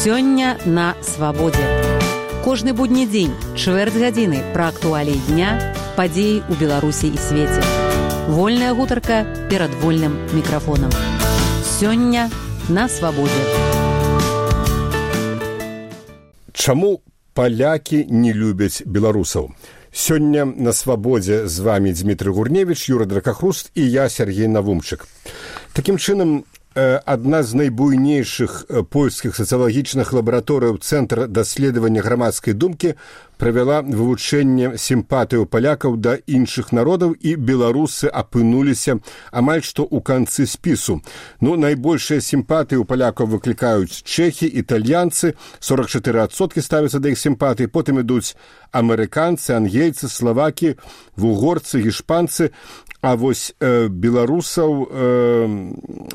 Сёння на свабодзе. Кожны будні дзень, чвэрць гадзіны пра актуаліі дня, падзеі ў Беларусі і свеце. Вольная гутарка перад вольным мікрафонам. Сёння на свабодзе. Чаму палякі не любяць беларусаў? Сёння на свабодзе з вами Дмітрый Гурневіч, Юра Дракахруст і я, Сергей Навумчык. Такім чынам, адна з найбуйнейшых польскіх сацыялагічных лабараторыяў Цэнтр даследавання грамадскай думкі правяла вывучэнне сімпатыяў палякаў да іншых народаў, і беларусы апынуліся амаль што ў канцы спісу. Найбольшыя сімпатыі ў палякаў выклікаюць чэхі, італьянцы, 44% ставяцца да іх сімпатый, потым ідуць амерыканцы, ангельцы, славакі, вугорцы, гішпанцы, а вось беларусаў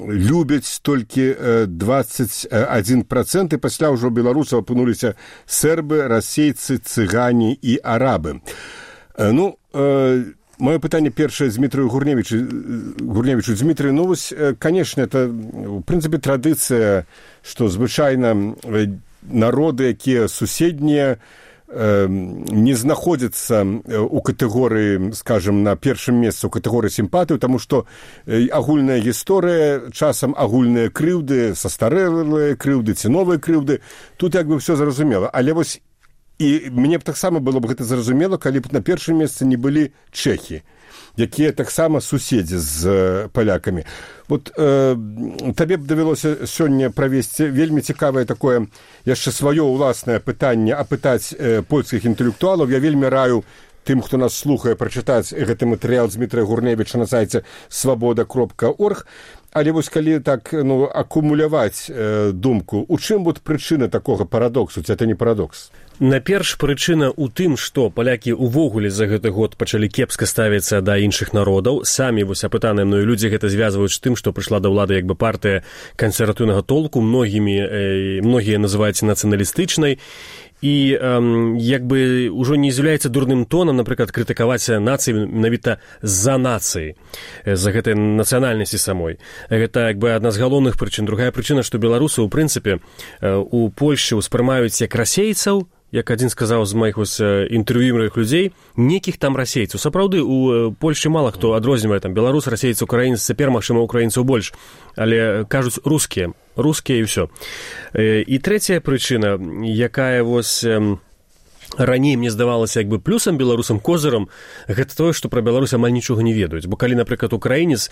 любяць толькі 21%, і пасля ўжо беларусаў апынуліся сербы, расейцы, цыгане і арабы. Маё пытанне першае Дмітрию Гурневичу. Дмітрий, вось, конечно, это, в прынцыпе, традыцыя, што звычайна народы, якія суседнія, не знаходзяцца ў катэгорыі, скажем, на першым месцы ў катэгорыі сімпатыю, таму што агульная гісторыя, часам агульныя крыўды, састарэлыя крыўды ці новыя крыўды, тут як бы ўсё зразумела. Але вось і мне б таксама было б гэта зразумела, калі б на першым месцы не былі чэхі, якія таксама суседзі з палякамі. Вот табе б давялося сёння правесці вельмі цікавае такое яшчэ сваё ўласнае пытанне, апытаць польскіх інтэлектуалаў. Я вельмі раю тым, хто нас слухае, прачытаць гэты матэрыял Дмітрия Гурневіча на сайце свабода.орг. Але вось калі так акумуляваць думку, у чым вот прычына такога парадоксу, ці это не парадокс? Наперш прычына ў тым, што палякі ўвогуле за гэты год пачалі кепска ставіцца да іншых народаў. Самі вось апытаныя мною людзі гэта звязваюць з тым, што прыйшла да ўлады як бы партыя кансерватыўнага толку, многія называюць нацыяналістычнай. І як бы ўжо не з'яўляецца дурным тонам, напрыклад, крытыкаваць нацыі менавіта з-за нацыі, з-за гэтай нацыянальнасці самой. Гэта як бы адна з галоўных прычын. Другая прычына, што беларусы, ў прынцыпе, у Польшчы ўспрымаюць як расейцаў, як адзін сказаў з маіх інтэрв'юерых людзей, некіх там расейцаў. Сапраўды, у Польшчы мала хто адрознівае там беларус, расейец, украінец, цяпер, магчыма, украінцаў больш, але кажуць рускія і ўсё. І трэцяя прычына, якая вось раней мне здавалася як бы плюсам беларусам, козырам, гэта тое, што пра Беларусь амаль нічога не ведаюць. Бо калі, напрыклад, украінец,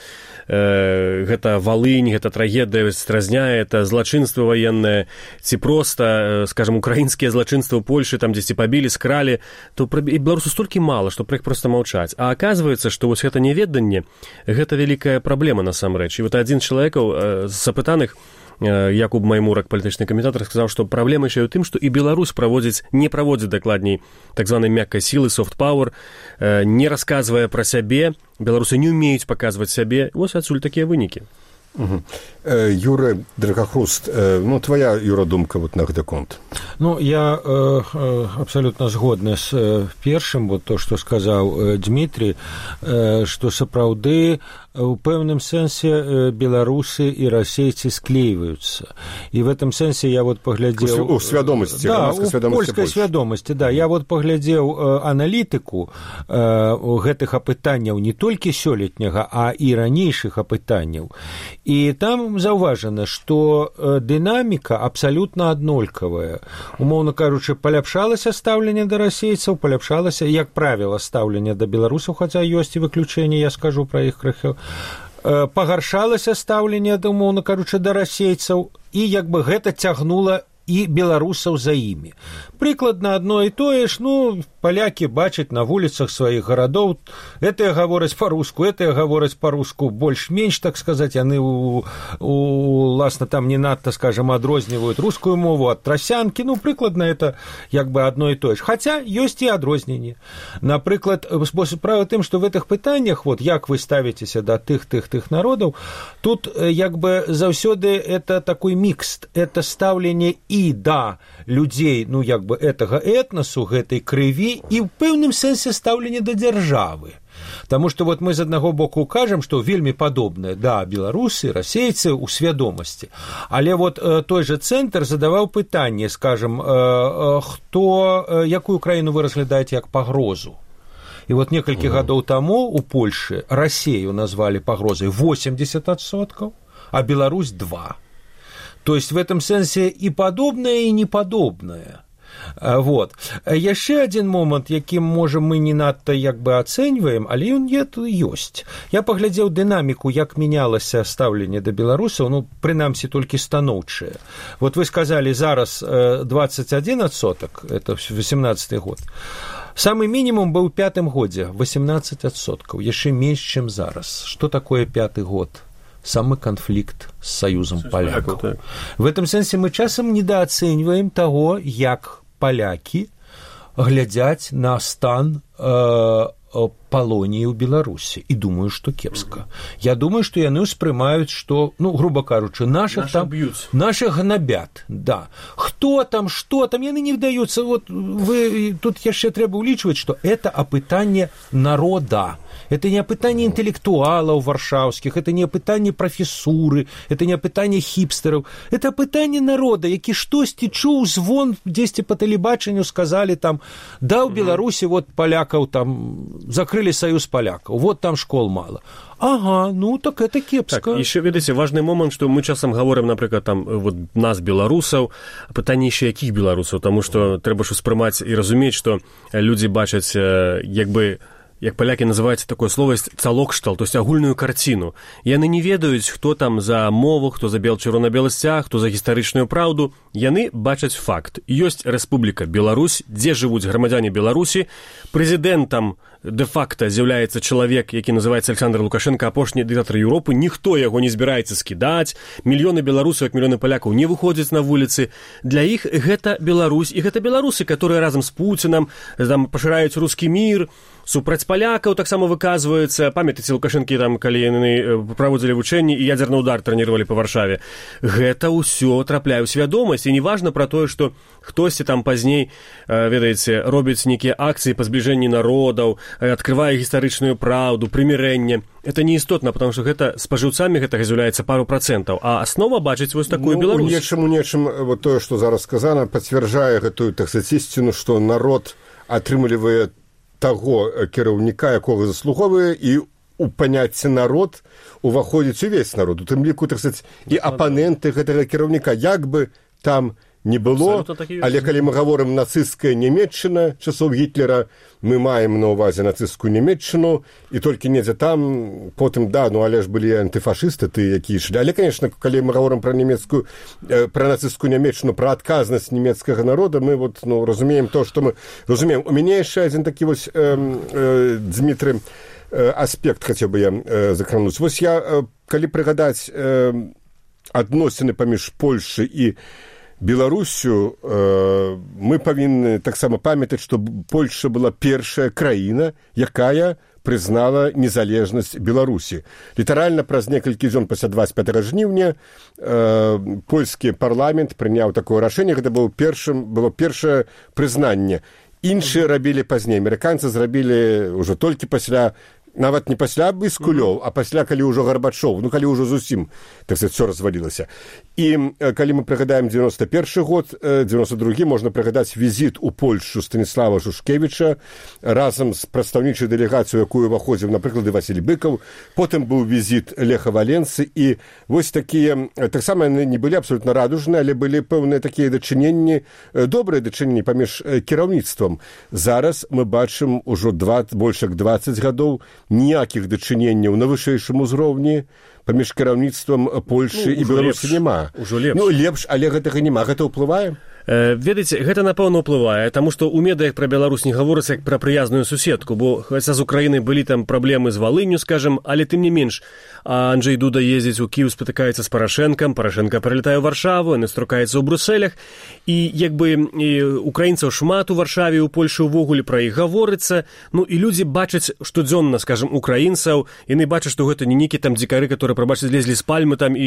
гэта Валынь, гэта трагедыя стразня, это злачынства ваеннае, ці проста, скажем, украінскія злачынства ў Польшы, там дзесьці пабілі, скралі, то пра беларусу столькі мала, што пра іх проста маўчаць. А аказваецца, што вось гэта няведанне, гэта вялікая праблема насамрэч. І вот адзін чалавекаў з запытаных, Якуб Маймурак, палітычны каментатар, сказаў, што праблема яшчэ ў тым, што і Беларусь не праводзіць дакладней так званай мяккай сілы, soft power, не расказвае пра сябе, беларусы не ўмеюць паказваць сябе. Вось адсюль такія вынікі. Юра Дракахруст, твоя, Юра, думка вот на гэты конт? Я абсолютно згодны з першым, вот то, што сказаў Дмітрий, што сапраўды у пэўным сэнсе беларусы і расейцы склейваюцца. І в этом сэнсе я вот паглядзеў... У свядомасці, грамадскай свядомасці. Польскай свядомасці, да. Я вот паглядзеў аналітыку гэтых апытанняў не толькі сёлетняга, а і ранейшых апытанняў. І там заўважана, што дынаміка абсалютна аднолькавая. Умоўна кажучы, паляпшалася стаўленне да расейцаў, паляпшалася, як правіла, стаўленне да беларусаў, хаця ёсць і выключэнне, я скажу пра іх крыху. Пагаршалася стаўленне, умоўна кажучы, да расейцаў, і як бы гэта цягнула і беларусаў за імі. Прыкладна адно і тое ж, палякі бачаць на вуліцах сваіх гарадоў, гэтыя гавораць па-руску, гэтыя гавораць па-руску больш-менш, так сказаць, яны уласна там не надта, скажем, адрозніваюць рускую мову ад трасянкі, прыкладна это як бы адно і тое ж. Хаця ёсць і адрозненні. Напрыклад, справа тым, што в гэтых пытаннях, вот як вы ставіцеся да тых народаў, тут як бы заўсёды это такой мікс, это стаўленне і да людзей, як бы гэтага этнасу, гэтай крыві, і ў пэўным сэнсе стаўленне да дзяржавы. Таму што вот мы з аднаго боку кажам, што вельмі падобнае, да, беларусы, расейцы ў свядомасці. Але вот той жа цэнтр задаваў пытанне, скажам, якую краіну вы разглядаеце як пагрозу? І вот некалькі гадоў таму у Польшы Расею назвалі пагрозай 80%, а Беларусь 2%. То есть в этом сэнсе і падобнае, і непадобнае. Вот. Яшчэ адзін момант, якім, можа, мы не надта як бы ацэньваем, але ён ёсць. Я паглядзеў дынаміку, як мянялася стаўленне да беларусаў, ну, прынамсі, толькі станоўчае. Вот вы сказалі, зараз 21%, это 18-й год. Самы мінімум быў у 5-м годзе, 18%, яшчэ менш, чым зараз. Што такое 5-й год? Самы канфлікт з саюзам палякаў. Так. В этом сэнсе мы часам недооцэньваем таго, як палякі глядзяць на стан палоніі ў Беларусі. І думаю, што кепска. Я думаю, што яны ўспрымаюць, што, ну, грубо кажучы, наших гнабят. Да. Хто там, што там, яны не вдаюцца. Вот тут яшчэ трэба ўлічваць, што это апытанне народа. Это не апытанне інтэлектуалаў варшаўскіх, это не апытанне прафесуры, это не апытанне хіпстэраў. Это апытанне народа, які штосьці чуў звон дзесьці па тэлебачанню, сказалі там, да, ў Беларусі вот палякаў там закрылі саюз палякаў, вот там школ мала. Ага, ну так это кепска. Так, еще, видите, важный момент, что мы часам говорим, например, там, вот нас, белорусов, пытание еще яких белорусов, потому что треба ж успрымаць и разуметь, что люди бачаць, як палякі называюць такое слово, цалокштал, то есть агульную карціну. Яны не ведаюць, хто там за мову, хто за чырвона-белы сцяг, хто за гістарычную праўду. Яны бачаць факт. Ёсць Рэспубліка Беларусь, дзе жывуць грамадзяне Беларусі. Прэзідэнтам де-факта з'яўляецца чалавек, які называецца Александр Лукашенко, апошні дыктатар Еўропы. Ніхто яго не збіраецца скідаць. Мільёны беларусаў, як мільёны палякаў, не выходзяць на вуліцы. Для іх гэта Беларусь, і гэта беларусы, которые разам з Пуцінам там пашыраюць рускі мір, супраць палякаў таксама выказваюцца. Памятаеце, Лукашэнкі там, калі яны праводзілі вучэнні і ядзерны удар трэніравалі па Варшаве. Гэта ўсё трапляе ў свядомасць, і неважна пра тое, што хтосьці там пазней, ведаеце, робіць нейкія акцыі па збліжэнні народаў, адкрывае гістарычную праўду, прымірэнне. Это не істотна, потому што гэта спажыўцамі гэтага з'яўляецца пару процентаў, а аснова бачыць вось такую Беларусь. У нечым вот тое, што зараз сказана, пацвярджае гэтую, так сказаць, ісціну, што народ атрымлівае таго кіраўніка, якога заслуговае, і у паняцце народ уваходзіць увесь народ. У тым ліку, так сказаць, і апаненты гэтага кіраўніка, як бы там не было, але калі мы гаворым нацысцкая Нямецчына часоў Гітлера, мы маем на ўвазе нацысцкую Нямецчыну, і толькі недзе там, потым, да, ну але ж былі антыфашысты, ты які ішлі. Але, конечно, калі мы гаворым пра нацысцкую Нямецчыну, пра адказнасць нямецкага народа, мы вот, ну, разумеем то, што мы разумеем. У мяне яшчэ адзін такі вось, Дмітрый, аспект хацеў бы я закрануць. Вось я, калі прыгадаць адносіны паміж Польшай і Беларусю, мы павінны таксама памятаць, што Польша была першая краіна, якая прызнала незалежнасць Беларусі. Літаральна праз некалькі дзён пасля 25 жніўня польскі парламент прыняў такое рашэнне, гэта было першае прызнанне. Іншыя рабілі пазней. Амерыканцы зрабілі ўжо толькі пасля, нават не пасля Біскулёў, а пасля, калі ўжо Гарбачоў, ну, калі ўжо зусім, так сказаць, все развалілася. І калі мы прыгадаем 91 год, 92 можна прыгадаць візіт у Польшу Станіслава Шушкевіча разам з прадстаўнічай дэлегацыяй, якую уваходзіў, напрыклад, і Васіль Быкаў. Потым быў візіт Леха Валенцы, і вось такія, таксама яны не былі абсолютна радужныя, але былі пэўныя такія дачыненні, добрыя дачыненні паміж кіраўніцтвам. Зараз мы бачым ужо больш як 20 гадоў ніякіх дачыненняў на вышэйшым узроўні паміж кіраўніцтвам Польшы і Беларусі няма. Ну, лепш, але гэтага няма. Гэта ўплывае? Ведаеце, гэта, напэўна, ўплывае, таму што ў медыях пра Беларусь не гаворыцца як пра прыязную суседку, бо хаця з Украінай былі там праблемы з Валынню, скажам, але тым не менш, Анджэй Дуда ездзіць у Кіеў, спатыкаецца з Парашэнкам, Парашэнка прылетае ў Варшаву, яны струкаецца ў Брусэлях, і як бы украінцаў шмат у Варшаве, у Польшы ўвогуле пра іх гаворыцца, ну і людзі бачаць штодзённа, скажам, украінцаў, яны бачаць, што гэта не нейкі там дзікары, которые прабачце, злезлі з пальмы там і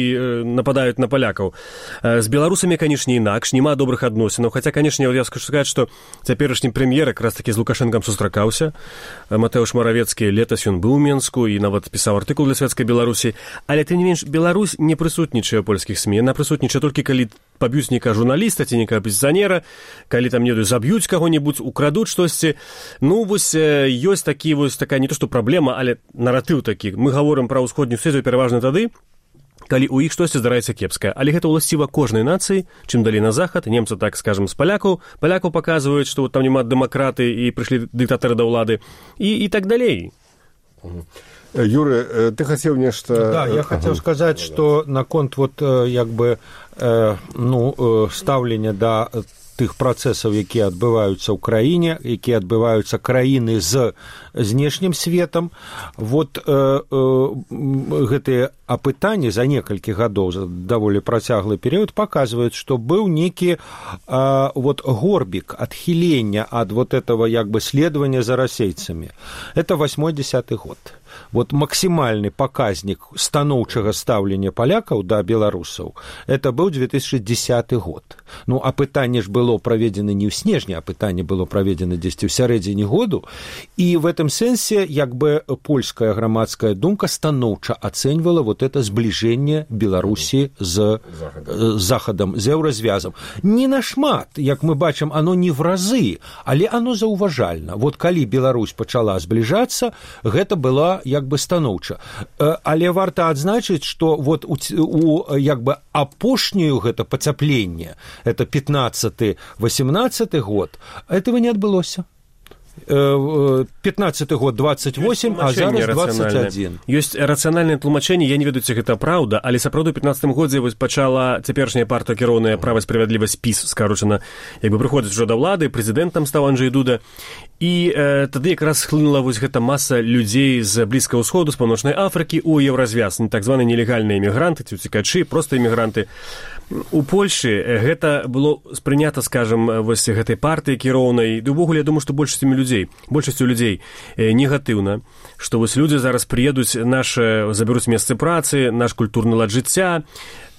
нападаюць на палякаў. З беларусамі, канешне, інакш, няма добрых адносінаў, хаця, канешне, я скажу сказаць, што цяперашні прэм'ер якраз такі з Лукашэнкам сустракаўся. Матэўш Маравецкі летась ён быў у Менску і нават пісаў артыкул для Савецкай Беларусі, але тым не менш Беларусь не прысутнічае ў польскіх СМІ, яна прысутнічае толькі калі паб'юць нейкага журналіста ці нейкага апазіцыянера, калі там не заб'юць каго-небудзь, украдуць штосьці. Ну, вось ёсць такі вось такая не то што праблема, але наратыў такі. Мы гаворым пра ўсходнюю свету пераважна тады, калі ў іх штосьці здараецца кепскае. Але гэта ўласціва кожнай нацыі, чым далі на захад, немцы, так скажам, з палякаў паказваюць, што там няма дэмакраты і прыйшлі дыктатары да ўлады, і так далей. Юры, ты хотел нечто... Да, я хотел сказать, что наконт вот як бы ставлення да тых працэсаў, якія адбываюцца ў краіне, якія адбываюцца краіны з знешнім светам. Вот гэтыя апытанні за некалькі гадоў, за даволі працяглы перыяд, паказваюць, што быў нейкі горбік адхілення ад вот этого як бы следования за расейцамі. Это 80-й год. Вот максимальный показник станоўчага стаўлення палякаў да беларусаў, это быў 2010 год. Ну, апытанне ж было праведзена не ў снежні, апытанне было праведзена дзесьці ў сярэдзіне году, і в этом сэнсе як бы польская грамадская думка станоўча ацэньвала вот это збліжэнне Беларусі з Захадам, з еўразвязам. Не нашмат, як мы бачым, оно не в разы, але оно заўважальна. Вот калі Беларусь пачала збліжацца, гэта была як бы станоўча. Але варта адзначыць, што вот у як бы апошнюю гэта пацяпленне, это 15-18 год, этого не адбылося. 15-й год 28, а зараз 21. Ёсць рацыянальнае тлумачэнне, я не ведаю, ці гэта праўда, але сапраўды ў 15-м годзе вось пачала цяперашняя партыя кіроўная «Права і справядлівасць» ПІС, скарочана, як бы прыходзіць ужо да ўлады, прэзідэнтам стаў Анджэй Дуда, і тады якраз схлынула вось гэта маса людзей з Блізкага ўсходу, з Паўночнай Афрыкі ў еўразвяз, так званыя нелегальныя імігранты, ці уцікачы, проста імігранты. У Польшы гэта было спрынята, скажам, вось гэтай партыі кіроўнай, ды ўвогуле, я думаю, што большасцю людзей негатыўна, што вось людзі зараз прыедуць, забяруць месцы працы, наш культурны лад жыцця.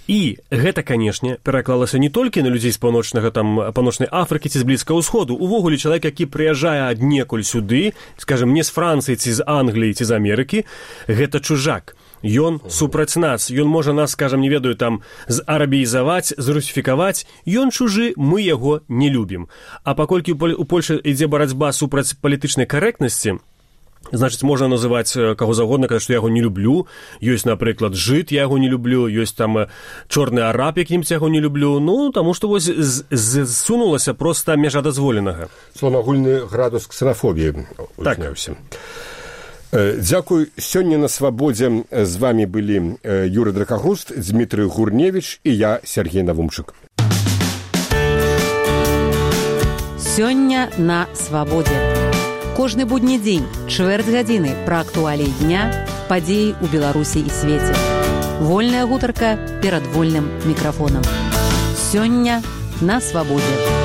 І гэта, канешне, пераклалася не толькі на людзей з Паўночнай Афрыкі ці з Блізкага ўсходу. Увогуле, чалавек, які прыязджае аднекуль сюды, скажам, не з Францыі ці з Англіі ці з Амерыкі, гэта чужак. Ён супраць нас, ён можа нас, скажам, не ведаю, там, зарабіізаваць, зрусіфікаваць, ён чужы, мы яго не любім. А паколькі у Польшы ідзе барацьба супраць палітычнай карэктнасці, значыць, можна называць каго загодна, казаць, што я яго не люблю. Ёсць, напрыклад, жыд, я яго не люблю, ёсць там чорны араб, якім яго не люблю. Ну, таму што вось зсунулася проста мяжа дазволенага. Агульны градус ксенафобіі узняўся. Дзякуй. Сёння на свабодзе з вами былі Юры Дракагуст, Дмітрый Гурневіч і я, Сергей Навумчык. Сёння на свабодзе. Кожны будні дзень, чвэрць гадзіны пра актуаліі дня, падзеі ў Беларусі і свеце. Вольная гутарка перад вольным мікрафонам. Сёння на свабодзе.